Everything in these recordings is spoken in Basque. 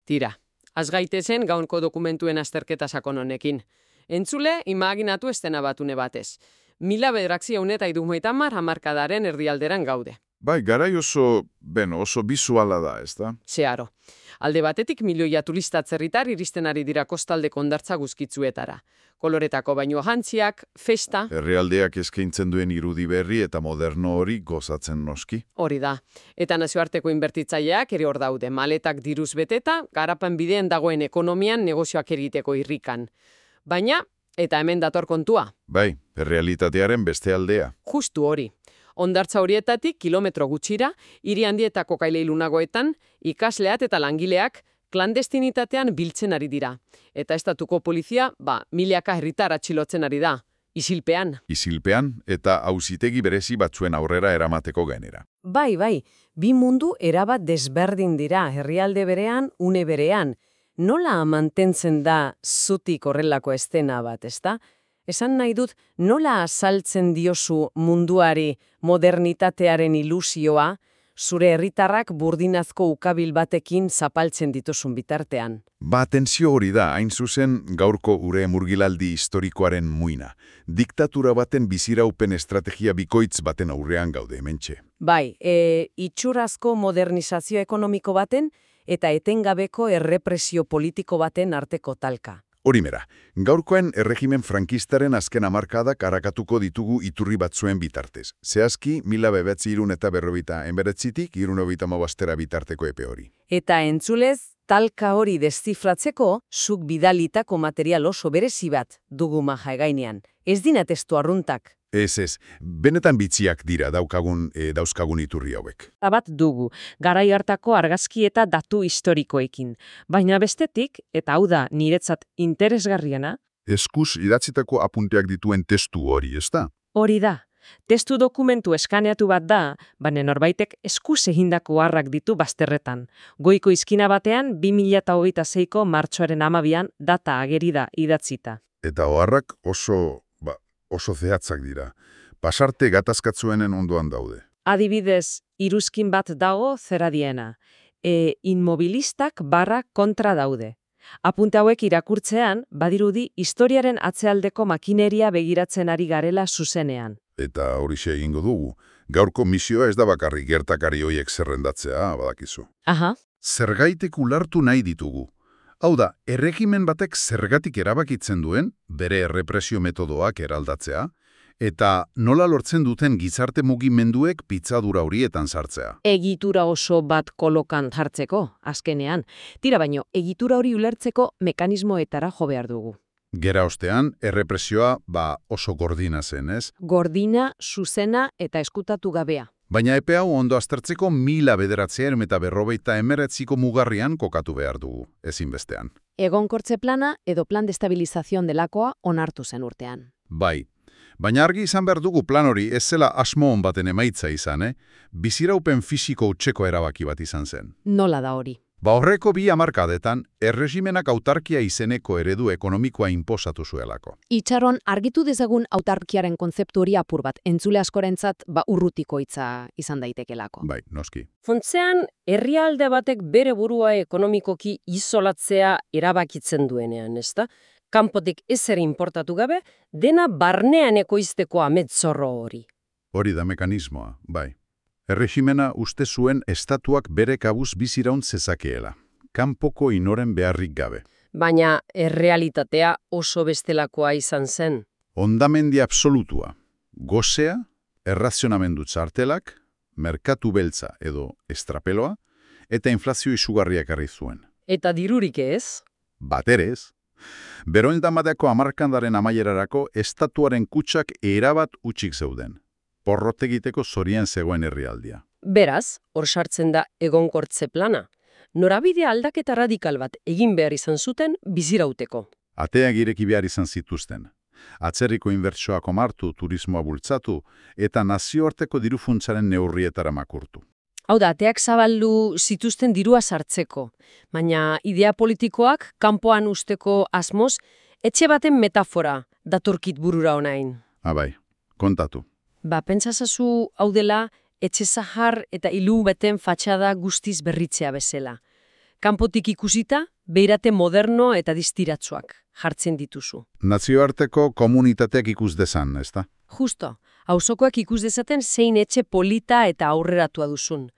Tira, az gaitezen gaurko dokumentuen azterketa sakon honekin. Entzule, imaginatu estena batune batez. 1970 hamarkadaren erdialderan gaude. Bai, garai oso bisuala da, ez da? Zeharo. Alde batetik milioia turista atzerritar iristen ari dira kostaldeko hondartza guzkitzuetara. Koloretako baino jantziak, festa... Herrialdeak eskaintzen duen irudi berri eta moderno hori gozatzen noski. Hori da. Eta nazioarteko inbertitzaileak ere hor daude. Maletak diruz beteta, garapen bidean dagoen ekonomian negozioak egiteko irrikan. Baina, eta hemen dator kontua. Bai, errealitatearen beste aldea. Justu hori. Hondartza horietatik kilometro gutxira, hiri handietako kaileilunagoetan, ikasleak eta langileak klandestinitatean biltzen ari dira. Eta estatuko polizia, milaka herritar atxilotzen ari da. Isilpean. Isilpean eta auzitegi berezi batzuen aurrera eramateko gainera. Bai, bi mundu erabat desberdin dira, herrialde berean, une berean. Nola mantentzen da zutik horrelako estena bat, ezta? Esan nahi dut, nola azaltzen diozu munduari modernitatearen ilusioa, zure herritarrak burdinazko ukabil batekin zapaltzen dituzun bitartean? Tensio hori da, hain zuzen gaurko ure murgilaldi historikoaren muina. Diktatura baten biziraupen estrategia bikoitz baten aurrean gaude hementxe. Bai, itxurazko modernizazio ekonomiko baten eta etengabeko errepresio politiko baten arteko talka. Horimera, gaurkoen erregimen frankistaren azken hamarkadak arakatuko ditugu iturri batzuen bitartez. Zehazki, 1949tik 1975 bitarteko epe hori. Eta entzulez, talka hori deszifratzeko, zuk bidalitako material oso berezi bat dugu maja egainean. Ez dina testu arruntak. Ez, benetan bitziak dira dauzkagun iturri hauek. Bat dugu, garai hartako argazki eta datu historikoekin. Baina bestetik, eta hau da niretzat interesgarriena, Eskuz idatzitako apunteak dituen testu hori, ez da? hori da. Testu dokumentu eskaneatu bat da, baina norbaitek eskuz egindako harrak ditu bazterretan. Goiko izkina batean 2026ko martxoaren 12an data ageri da idatzita. Eta oharrak oso zehatzak dira. Pasarte gatazkatzuenen ondoan daude. Adibidez, iruzkin bat dago zeradiena. Inmobilistak kontra daude. Apunte hauek irakurtzean, badirudi historiaren atzealdeko makineria begiratzen ari garela zuzenean. Eta horixe egingo dugu. Gaurko misioa ez da bakarrik gertakari hoiek zerrendatzea, badakizu. Aha. Zergaitek ulartu nahi ditugu. Hau da, erregimen batek zergatik erabakitzen duen, bere errepresio metodoak eraldatzea, eta nola lortzen duten gizarte mugimenduek pitzadura horietan sartzea. Egitura oso bat kolokan jartzeko, azkenean. Tira baino, egitura hori ulertzeko mekanismoetara jo behar dugu. Gera ostean, errepresioa oso gordina zen, ez? Gordina, zuzena eta eskutatu gabea. Baina epe hau ondo aztertzeko 1949ko mugarrian kokatu behar dugu, ezinbestean. Egonkortze plana edo plan de estabilizazion delakoa onartu zen urtean. Bai, baina argi izan behar dugu plan hori ez zela asmo hon baten emaitza izan, biziraupen fisiko utzeko erabaki bat izan zen. Nola da hori? Horreko 2 hamarkadetan, erregimenak autarkia izeneko eredu ekonomikoa inposatu zuelako. Itxaron, argitu dezagun autarkiaren kontzeptu hori apur bat, entzule askorentzat urrutiko hitza izan daitekelako. Bai, noski. Funtzean, herrialde batek bere burua ekonomikoki isolatzea erabakitzen duenean, ezta? Kanpotik ezer inportatu gabe, dena barnean ekoizteko ametzorro hori. Hori da mekanismoa, bai. Erregimena uste zuen estatuak bere kabuz biziraun zezakeela, kanpoko inoren beharrik gabe. Baina errealitatea oso bestelakoa izan zen. Hondamendi absolutua, gozea, errazionamendu txartelak, merkatu beltza edo estrapeloa, eta inflazio izugarriak arri zuen. Eta dirurik ez? Baterez, beroindamadeako hamarkandaren amaierarako estatuaren kutsak erabat utxik zeuden. Porrot egiteko zorien zegoen herrialdia. Beraz, hor sartzen da egonkortze plana. Norabide aldaketa radikal bat egin behar izan zuten bizirauteko. Ateak ireki behar izan zituzten. Atzerriko inbertsioak omartu, turismoa bultzatu, eta nazioarteko dirufuntzaren neurrietara makurtu. Hau da, ateak zabaldu zituzten dirua sartzeko. Baina idea politikoak kanpoan usteko asmoz, etxe baten metafora datorkit burura onain. Bai, kontatu. Pentsazazu hau dela etxe zahar eta ilu beten fatxada guztiz berritzea bezala. Kanpotik ikusita, beirate moderno eta distiratsuak jartzen dituzu. Nazioarteko komunitateak ikus dezan, ezta? Justo, auzokoak ikus dezaten zein etxe polita eta aurreratua duzun.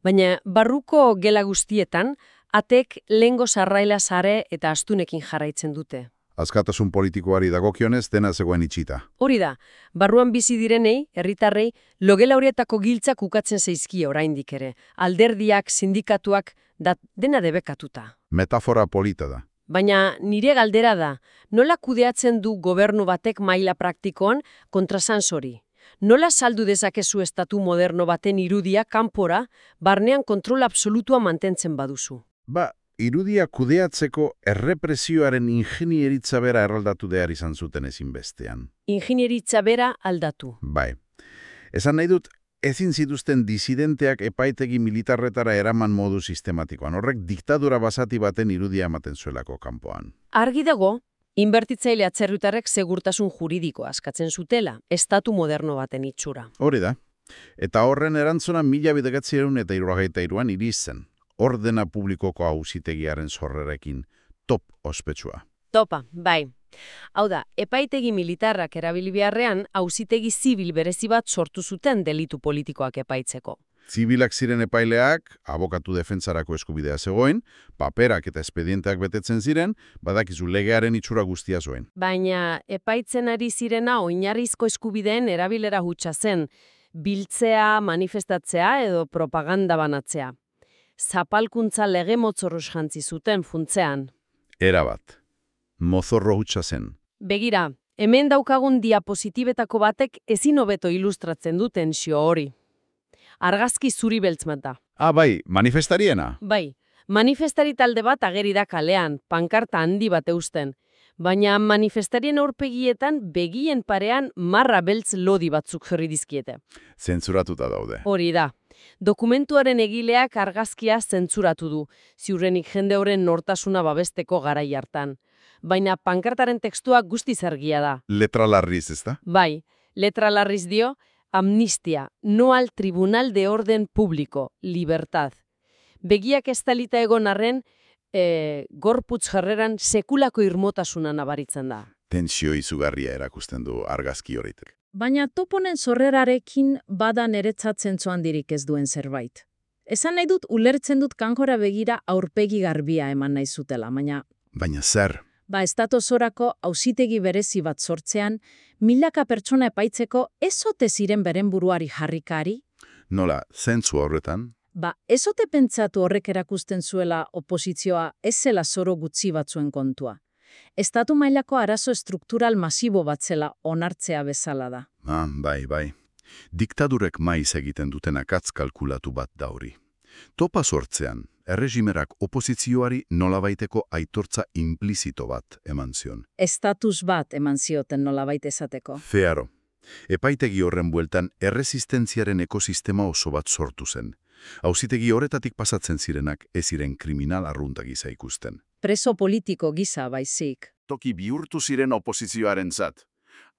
Baina barruko gela guztietan, atek lehengo sarraila sare eta astunekin jarraitzen dute. Askatasun politikoari dagokionez dena zegoen itxita. Hori da, barruan bizi direnei, herritarrei, logela horietako giltzak ukatzen zaizkie oraindik ere. Alderdiak, sindikatuak, dena debekatuta. Metafora polita da. Baina nire galdera da, nola kudeatzen du gobernu batek maila praktikoan kontrasansori? Nola saldu dezakezu estatu moderno baten irudia kanpora, barnean kontrol absolutua mantentzen baduzu? Irudia kudeatzeko errepresioaren ingenieritza bera erraldatu behar izan zuten ezinbestean. Ingenieritza bera aldatu. Bai. Esan nahi dut, ezin zituzten disidenteak epaitegi militarretara eraman modu sistematikoan. Horrek diktadura basati baten irudia ematen zuelako kanpoan. Argi dago, inbertitzaile atzerritarrek segurtasun juridikoa askatzen zutela, estatu moderno baten itxura. Hori da. Eta horren erantzuna 1973an irizen. Ordena publikoko auzitegiaren sorrerekin top ospetsua. Topa, bai. Hau da, epaitegi militarrak erabili beharrean, auzitegi zibil berezi bat sortu zuten delitu politikoak epaitzeko. Zibilak ziren epaileak, abokatu defentsarako eskubidea zegoen, paperak eta espedienteak betetzen ziren, badakizu legearen itxura guztia zuen. Baina epaitzen ari zirena oinarrizko eskubideen erabilera hutsa zen, biltzea, manifestatzea edo propaganda banatzea. Zapalkuntza lege motzorruz jantzi zuten funtzean. Erabat. Mozorro hutsa zen. Begira, hemen daukagun diapositibetako batek ezin hobeto ilustratzen du tentsio hori. Argazki zuri beltz bat da. Bai, manifestariena. Bai, manifestari talde bat ageri da kalean, pankarta handi bat eusten. Baina manifestarien aurpegietan begien parean marra beltz lodi batzuk jarri dizkiete. Zentzuratuta daude. Hori da. Dokumentuaren egileak argazkia zentzuratu du, ziurrenik jende horren nortasuna babesteko garai hartan. Baina pankartaren tekstua guztiz argia da. Letra larriz, ezta? Bai, letra larriz dio, amnistia, no al tribunal de orden público, libertad. Begiak estalita egon arren, gorputz jarreran sekulako irmotasuna nabaritzen da. Tentsio izugarria erakusten du argazki horitek. Baina toponen sorrerarekin bada niretzat zentzu handirik ez duen zerbait. Esan nahi dut ulertzen dut kanjora begira aurpegi garbia eman nahi zutela, Baina zer? Estatu osorako auzitegi berezi bat sortzean, milaka pertsona epaitzeko ez ote ziren beren buruari jarrikari? Nola, zentzu horretan? Ez ote pentsatu horrek erakusten zuela oposizioa ez zela zoro gutxi batzuen kontua. Estatu mailako arazo estruktural masibo bat zela onartzea bezala da. Bai. Diktadurek maiz egiten duten akatz kalkulatu bat da hori. Topa sortzean, erregimerak oposizioari nolabaiteko aitortza implizito bat eman zion. Estatus bat eman zioten nolabait esateko. Fearo. Epaitegi horren bueltan erresistentziaren ekosistema oso bat sortu zen. Auzitegi horretatik pasatzen zirenak ez ziren kriminal arrunta gisa ikusten. Preso politiko gisa baizik. Toki bihurtu ziren oposizioaren zat.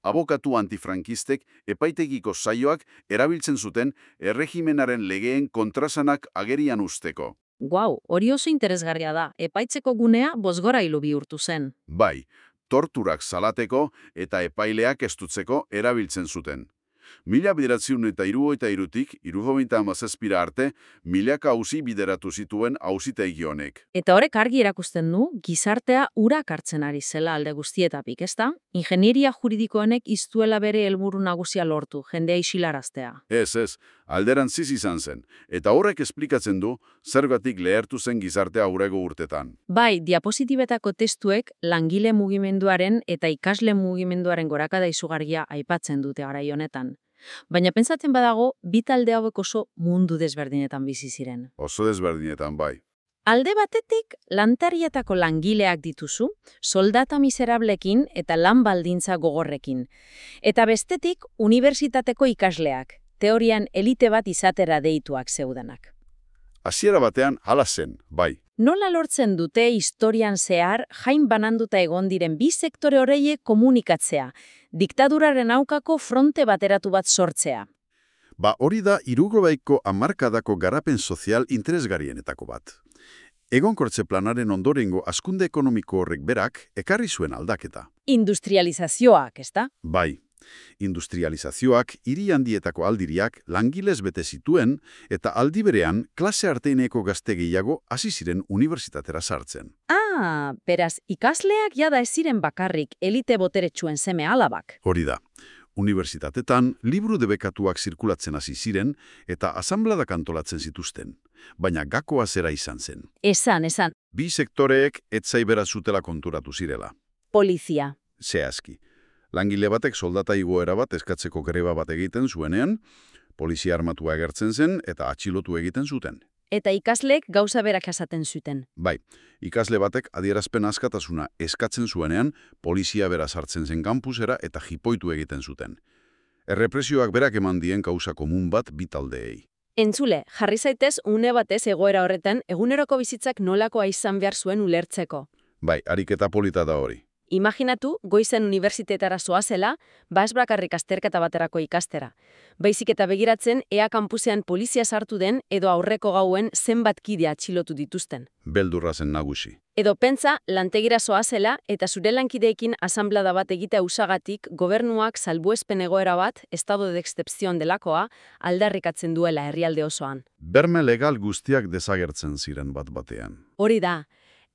Abokatu antifrankistek epaitegiko saioak erabiltzen zuten erregimenaren legeen kontrasanak agerian usteko. Guau, hori oso interesgarria da. Epaitzeko gunea bozgorailu bihurtu zen. Bai, torturak salateko eta epaileak estutzeko erabiltzen zuten. 1973tik 1977 arte, milaka auzi bideratu zituen auzitegi honek. Eta horrek argi erakusten du, gizartea urak hartzen ari zela alde guztietatik, ezta? Ingenieria juridikoenek iztuela bere helburu nagusia lortu, jendea isilaraztea. Ez, alderantziz izan zen. Eta horrek esplikatzen du, zergatik lehertu zen gizartea aurreko urtetan. Bai, diapositibetako testuek langile mugimenduaren eta ikasle mugimenduaren gorakada izugarria aipatzen dute garai honetan. Baina pentsatzen badago, bi talde hauek oso mundu desberdinetan bizi ziren. Oso desberdinetan, bai. Alde batetik, lantarietako langileak dituzu, soldata miserablekin eta lan baldintza gogorrekin. Eta bestetik, unibertsitateko ikasleak, teorian elite bat izatera deituak zeudanak. Hasiera batean hala zen, bai. Nola lortzen dute historian zehar jain bananduta egon diren bi sektore horreiek komunikatzea, diktaduraren aukako fronte bateratu bat sortzea? Hori da 60ko hamarkadako garapen sozial interesgarrienetako bat. Egonkortze planaren ondorengo hazkunde ekonomiko horrek berak ekarri zuen aldaketa. Industrializazioak, ezta? Bai, industrializazioak hiri handietako aldiriak langilez bete zituen eta aldi berean klase arteineko gazte gehiago hasi ziren unibertsitatera sartzen. Beraz, ikasleak jada ez ziren bakarrik elite boteretsuen seme alabak. Hori da. Unibertsitatetan liburu debekatuak zirkulatzen hasi ziren eta asanbladak antolatzen zituzten, baina gakoa zera izan zen. Esan, Bi sektoreek etzaibera zutela konturatu zirela. polizia. Zehazki. Langile batek soldata igoera bat eskatzeko greba bat egiten zuenean, polizia armatua agertzen zen eta atxilotu egiten zuten. Eta ikasleek gauza berak esaten zuten. Bai, ikasle batek adierazpen askatasuna eskatzen zuenean, polizia bera sartzen zen kampusera eta jipoitu egiten zuten. Errepresioak berak eman dien kausa komun bat bi taldeei. Entzule, jarri zaitez une batez egoera horretan eguneroko bizitzak nolakoa izan behar zuen ulertzeko. Bai, ariketa polita da hori. Imaginatu, goizen unibertsitetara zoazela, ez bakarrik azterketa baterako ikastera. Baizik eta begiratzen, ea kampusean polizia sartu den edo aurreko gauen zenbat kide atxilotu dituzten. Beldurra zen nagusi. Edo pentsa, lantegira zoazela eta zure lankideekin asanblada bat egitea usagatik gobernuak salbuespen egoera bat, estado de excepción delakoa, aldarrikatzen duela herrialde osoan. Berme legal guztiak desagertzen ziren bat batean. Hori da.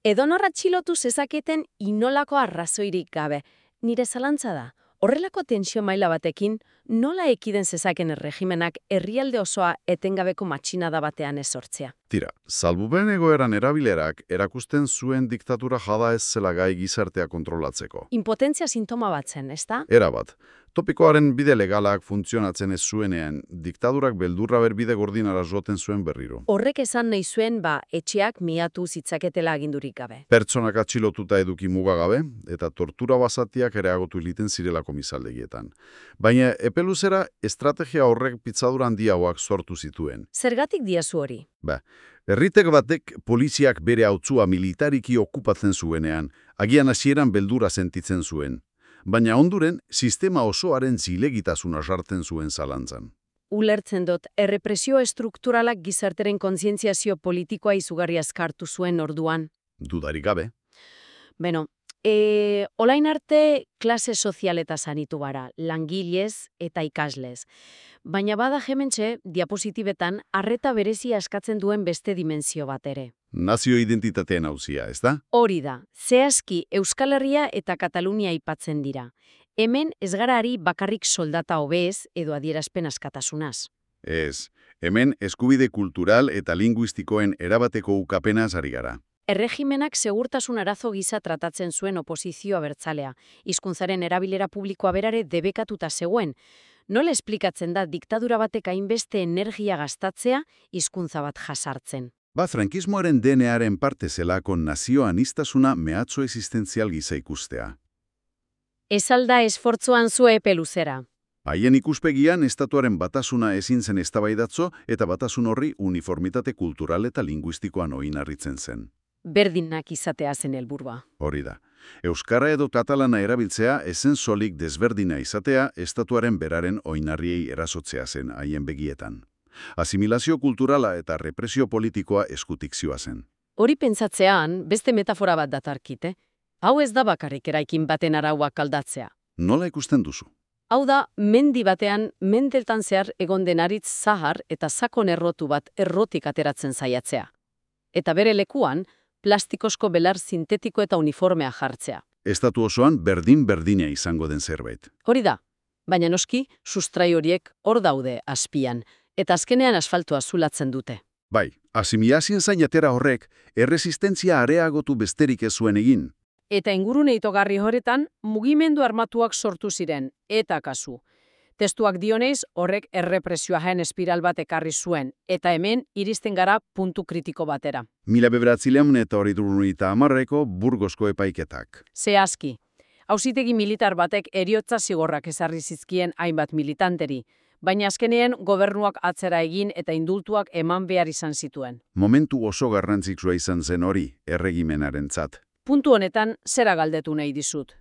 Edonor atxilotu zezaketen inolako arrazoirik gabe. Nire zalantza da, horrelako tensio maila batekin, nola ekiden zezaken erregimenak herrialde osoa etengabeko matxinada batean ez sortzea. Tira, salbuben egoeran erabilerak erakusten zuen diktatura jada ez zela gai gizartea kontrolatzeko. Impotentzia sintoma bat zen, ezta? Erabat. Topikoaren bide legalak funtzionatzen ez zuenean, diktadurak beldurra berbide gordinara joten zuen berriro. Horrek esan nahi zuen, etxeak miatu zitzaketela agindurik gabe. Pertsonak atxilotuta eduki mugagabe, eta tortura basatiak ereagotu egiten zirela komisaldegietan. Baina epeluzera estrategia horrek pitzadura handiagoak sortu zituen. Zergatik diazu hori? Herritek batek poliziak bere hautzua militariki okupatzen zuenean, agian hasieran beldura sentitzen zuen. Baina onduren, sistema osoaren zilegitasuna sartzen zuen zalantzan. Ulertzen dut, errepresio estrukturalak gizarteren kontzientziazio politikoa izugarri azkartu zuen orduan. Dudarik gabe. Olain arte klase sozialetaz anitu gara, langilez eta ikaslez. Baina bada hementxe, diapositibetan, arreta berezia askatzen duen beste dimensio bat ere. Nazio identitateen auzia, ez da? Hori da, zehazki Euskal Herria eta Katalunia aipatzen dira. Hemen ez gara ari bakarrik soldata hobez edo adierazpen askatasunaz. Ez, hemen eskubide kultural eta linguistikoen erabateko ukapenaz ari gara. Erregimenak segurtasun arazo gisa tratatzen zuen oposizioa abertzalea, hizkuntzaren erabilera publikoa berare debekatuta zegoen. Nola esplikatzen da diktadura batek hainbeste energia gastatzea hizkuntza bat jasartzen? Frankismoaren DNA-aren parte zelako nazioanistasuna mehatxo existentzial gisa ikustea. Ez alda esfortzuan zu epe luzera. Haien ikuspegian estatuaren batasuna ezin zen eztabaidatzo eta batasun horri uniformitate kultural eta linguistikoan oinarritzen zen. Berdinak izatea zen helburua. Hori da. Euskara edo katalana erabiltzea ezen solik desberdina izatea estatuaren beraren oinarriei erasotzea zen haien begietan. Asimilazio kulturala eta represio politikoa eskutik zioa zen. Hori pentsatzean, beste metafora bat datarkite. Hau ez da bakarrik eraikin baten arauak aldatzea. Nola ikusten duzu? Hau da, mendi batean, mendeltan zehar egon denaritz zahar eta sakon errotu bat errotik ateratzen saiatzea. Eta bere lekuan, plastikozko belar sintetiko eta uniformea jartzea. Estatu osoan berdin-berdina izango den zerbait. Hori da, baina noski, sustrai horiek hor daude azpian, eta azkenean asfaltua zulatzen dute. Bai, asimilazien zainatera horrek, erresistentzia areagotu besterik ez zuen egin. Eta ingurune itogarri horretan, mugimendu armatuak sortu ziren, eta kasu. Testuak dioneiz, horrek errepresioaen espiral bat ekarri zuen, eta hemen iristen gara puntu kritiko batera. 1930 Burgosko epaiketak. Zehazki, auzitegi militar batek heriotza zigorrak ezarri zizkien hainbat militanteri, baina azkenean gobernuak atzera egin eta indultuak eman behar izan zituen. Momentu oso garrantzitsua izan zen hori, erregimenarentzat. Puntu honetan, zera galdetu nahi dizut.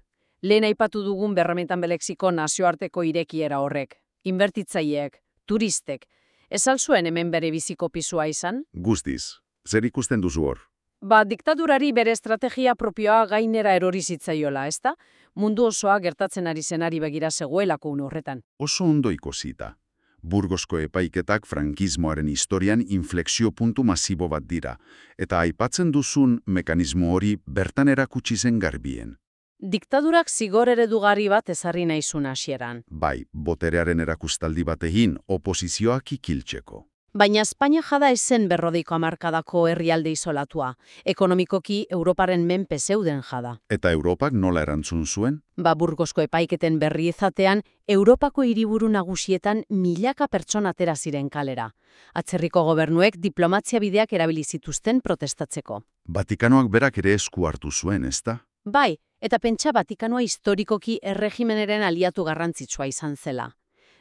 Lehen aipatu dugun berramentan belexiko nazioarteko irekiera horrek. Inbertitzaileek, turistek, ez al zuen hemen bere biziko pisua izan? Guztiz, zer ikusten duzu hor? Diktadurari bere estrategia propioa gainera erori zitzaiola, ezta? Mundu osoa gertatzen ari zenari begira zegoelako une horretan. Oso ondo ikusita. Burgosko epaiketak frankismoaren historian inflexio puntu masibo bat dira, eta aipatzen duzun mekanismo hori bertan erakutsi zen garbien. Diktadurak zigor eredugarri bat ezarri naizun hasieran. Bai, boterearen erakustaldi batekin oposizioak ikiltzeko. Baina Espainia jada ezen berrodeiko hamarkadako herrialde isolatua. Ekonomikoki Europaren menpe zeuden jada. Eta Europak nola erantzun zuen? Burgosko epaiketen berri izatean, Europako hiriburu nagusietan milaka pertsona atera ziren kalera. Atzerriko gobernuek diplomatzia bideak erabili zituzten protestatzeko. Vatikanoak berak ere esku hartu zuen, ezta? Bai, eta pentsa Vatikanoa historikoki erregimenaren aliatu garrantzitsua izan zela.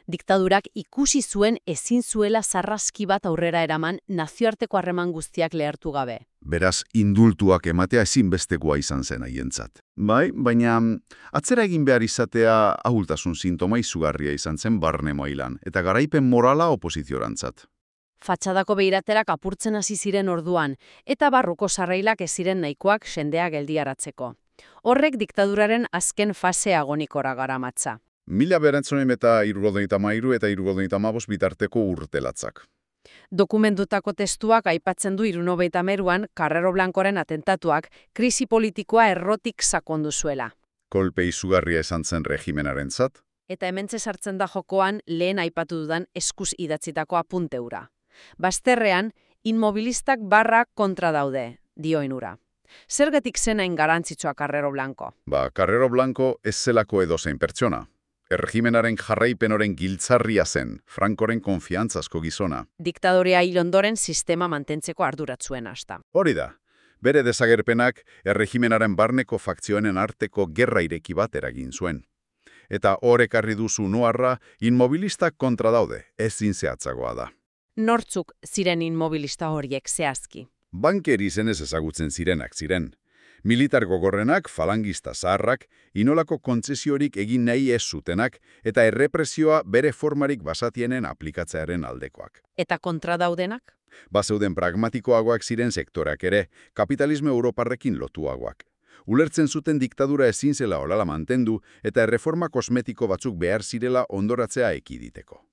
Diktadurak ikusi zuen ezin zuela sarraski bat aurrera eraman nazioarteko harreman guztiak lehertu gabe. Beraz, indultuak ematea ezinbestekoa izan zen haientzat. Bai, baina atzera egin behar izatea ahultasun sintoma izugarria izan zen barne mailan, eta garaipen morala oposiziorantzat. Fatxadako behiraterak apurtzen hasi ziren orduan, eta barruko sarrailak ez ziren nahikoak sendea geldiaratzeko. Horrek diktaduraren azken fase agonikora garamatza. 1973 eta 1975 bitarteko urtelatzak. Dokumentutako testuak aipatzen du 1973an Carrero Blancoren atentatuak krisi politikoa errotik sakondu zuela. Kolpe izugarria esan zen regimenarentzat. Eta hementxe sartzen da jokoan lehen aipatu dudan eskuz idatzitako apunteura. Bazterrean, inmobilistak barra kontra daude, dioen ura. Zergatik zenain garantzitsua Carrero Blanco? Carrero Blanco ez zelako edozein pertsona. Erregimenaren jarraipenoren giltzarria zen, Francoren konfiantzazko gizona. Diktadorea hil ondoren sistema mantentzeko arduratzuen hasta. Hori da, bere desagerpenak erregimenaren barneko fakzioenen arteko gerra ireki bat eragin zuen. Eta horrekarri duzu noarra, inmobilistak kontra daude, ezin zehatzagoa da. Nortzuk ziren inmobilista horiek zehazki? Banker izenez ezagutzen zirenak ziren. Militar gogorrenak, falangista zaharrak, inolako kontzesiorik egin nahi ez zutenak, eta errepresioa bere formarik basatienen aplikatzearen aldekoak. Eta kontra daudenak? Bazeuden pragmatikoagoak ziren sektoreak ere, kapitalismo europarrekin lotuagoak. Ulertzen zuten diktadura ezin zela olala mantendu, eta erreforma kosmetiko batzuk behar zirela ondoratzea ekiditeko.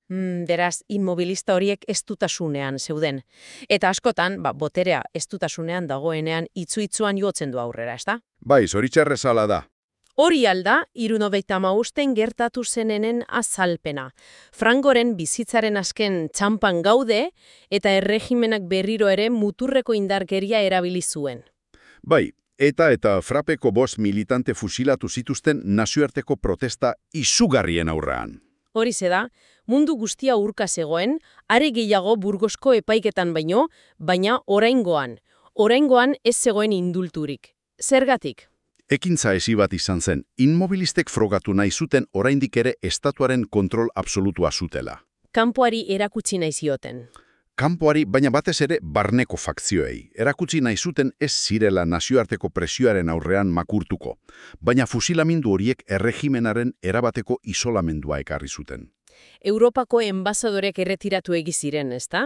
Beraz, inmobilista horiek estutasunean zeuden. Eta askotan, boterea estutasunean dagoenean itzu-itzuan jotzen du aurrera, ezta? Bai, zoritxarrezala da. Hori alda, 1975 gertatu zenenen azalpena. Francoren bizitzaren azken txanpan gaude, eta erregimenak berriro ere muturreko indarkeria erabili zuen. Bai, eta frapeko 5 militante fusilatu zituzten nazioarteko protesta izugarrien aurrean. Horize da, mundu guztia urka zegoen, are gehiago Burgosko epaiketan baina oraingoan. Oraingoan ez zegoen indulturik. Zergatik? Ekintza ezi bat izan zen, inmobilistek frogatu nahi zuten oraindik ere estatuaren kontrol absolutua zutela. Kanpoari erakutsi nahi zioten. Kanpoari, baina batez ere barneko fakzioei. Erakutsi nahi zuten ez zirela nazioarteko presioaren aurrean makurtuko, baina fusilamindu horiek erregimenaren erabateko isolamendua ekarri zuten. Europako enbasadorek erretiratu egiziren, ezta?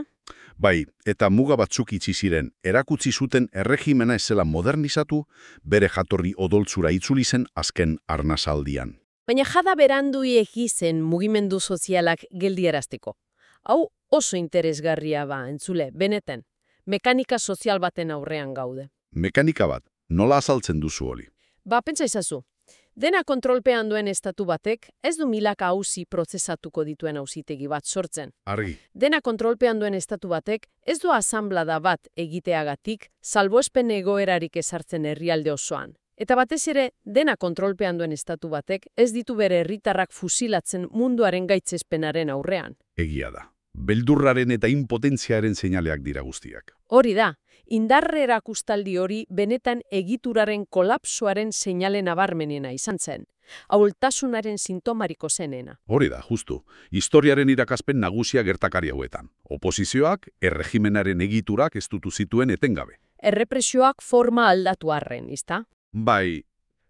Bai, eta muga batzuk itxi ziren, erakutsi zuten erregimena ez zela modernizatu, bere jatorri odoltzura itzuli zen azken arnasaldian. Baina jada berandu zen mugimendu sozialak geldiarazteko. Hau oso interesgarria entzule, benetan. Mekanika sozial baten aurrean gaude. Mekanika bat, nola azaltzen duzu hori? Pentsa izazu. Dena kontrolpean duen estatu batek ez du milaka auzi prozesatuko dituen auzitegi bat sortzen. Argi. Dena kontrolpean duen estatu batek ez du asanblada bat egiteagatik salbuespen egoerarik ezartzen herrialde osoan. Eta batez ere, dena kontrolpean duen estatu batek ez ditu bere herritarrak fusilatzen munduaren gaitzespenaren aurrean. Egia da. Beldurraren eta impotentziaren seinaleak dira guztiak. Hori da, indarre erakustaldi hori benetan egituraren kolapsoaren seinale nabarmenena izan zen. Ahultasunaren sintomariko zenena. Hori da, justu. Historiaren irakaspen nagusia gertakari hauetan. Oposizioak, erregimenaren egiturak estutu zituen etengabe. Errepresioak forma aldatu arren, izta? Bai,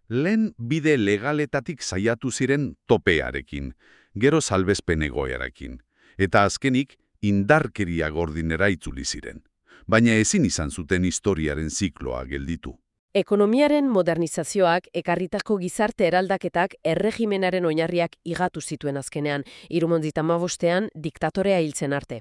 lehen bide legaletatik saiatu ziren topearekin, gero salbezpen egoerarekin. Eta azkenik, indarkeria gordinera itzuli ziren. baina ezin izan zuten historiaren zikloa gelditu. Ekonomiaren modernizazioak ekarritako gizarte eraldaketak erregimenaren oinarriak igatu zituen azkenean, 1975ean diktatorea hiltzen arte.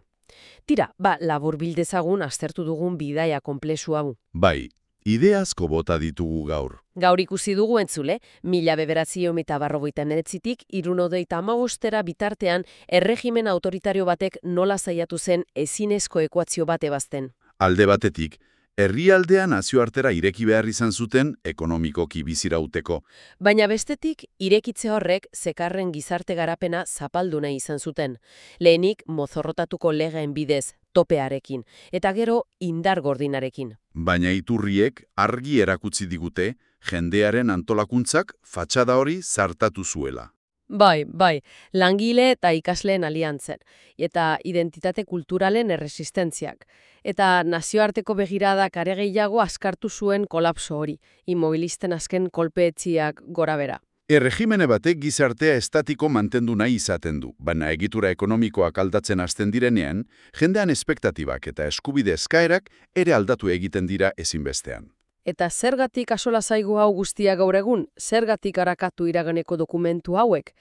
Tira, laburbil dezagun aztertu dugun bidaia konplexu hau. Bai, ide asko bota ditugu gaur. Gaur ikusi dugu entzule, 1949tik 1975era bitartean erregimen autoritario batek nola saiatu zen ezinezko ekuazio bat ebazten. Alde batetik, herrialdea nazioartera ireki behar izan zuten ekonomikoki bizirauteko. Baina bestetik, irekitze horrek zekarren gizarte garapena zapaldu nahi izan zuten. Lehenik, mozorrotatuko legeen bidez, topearekin, eta gero indar gordinarekin. Baina iturriek argi erakutsi digute, jendearen antolakuntzak fatxada hori zartatu zuela. Bai, langile eta ikasleen aliantzen, eta identitate kulturalen erresistentziak. Eta nazioarteko begiradak are gehiago askartu zuen kolapso hori, immobilisten azken kolpeetziak gorabera. Erregimene batek gizartea estatiko mantendu nahi izaten du, baina egitura ekonomikoak aldatzen hasten direnean, jendean espektatibak eta eskubide eskaerak ere aldatu egiten dira ezinbestean. Eta zergatik asola zaigu hau guztia gaur egun, zergatik arakatu iraganeko dokumentu hauek?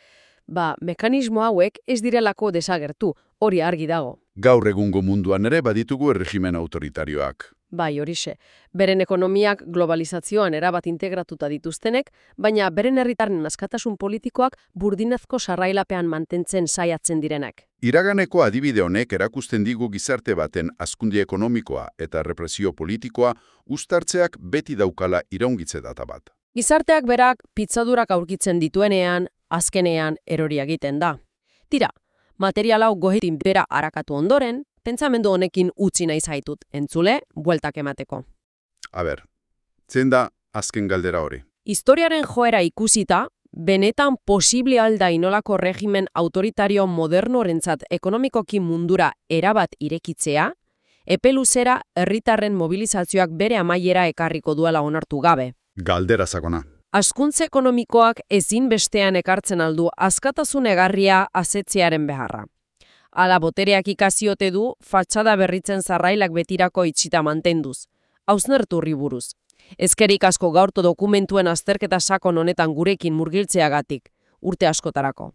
Mekanismo hauek ez direlako desagertu, hori argi dago. Gaur egungo munduan ere baditugu erregimen autoritarioak. Bai, horixe. Beren ekonomiak globalizazioan erabat integratuta dituztenek, baina beren herritarren askatasun politikoak burdinazko sarrailapean mantentzen saiatzen direnak. Iraganeko adibide honek erakusten digu gizarte baten hazkunde ekonomikoa eta represio politikoa uztartzeak beti daukala iraungitze data bat. Gizarteak berak pitzadurak aurkitzen dituenean, azkenean erori egiten da. Tira, material hau gohetin bera arakatu ondoren, pentsamendu honekin utzi nahi zaitut, entzule, bueltak emateko. Zein da azken galdera hori? Historiaren joera ikusita, benetan posible alda inolako regimen autoritario modernorentzat ekonomikoki mundura erabat irekitzea, epe luzera herritarren mobilizazioak bere amaiera ekarriko duela onartu gabe. Galdera sakona. Hazkuntze ekonomikoak ezinbestean ekartzen aldu askatasun egarria asetzearen beharra. Ala botereak ikaziote du, fatxada berritzen zarrailak betirako itxita mantenduz. Hausnerturri buruz. Ezkerik asko gaurto dokumentuen azterketa sakon honetan gurekin murgiltzeagatik, urte askotarako.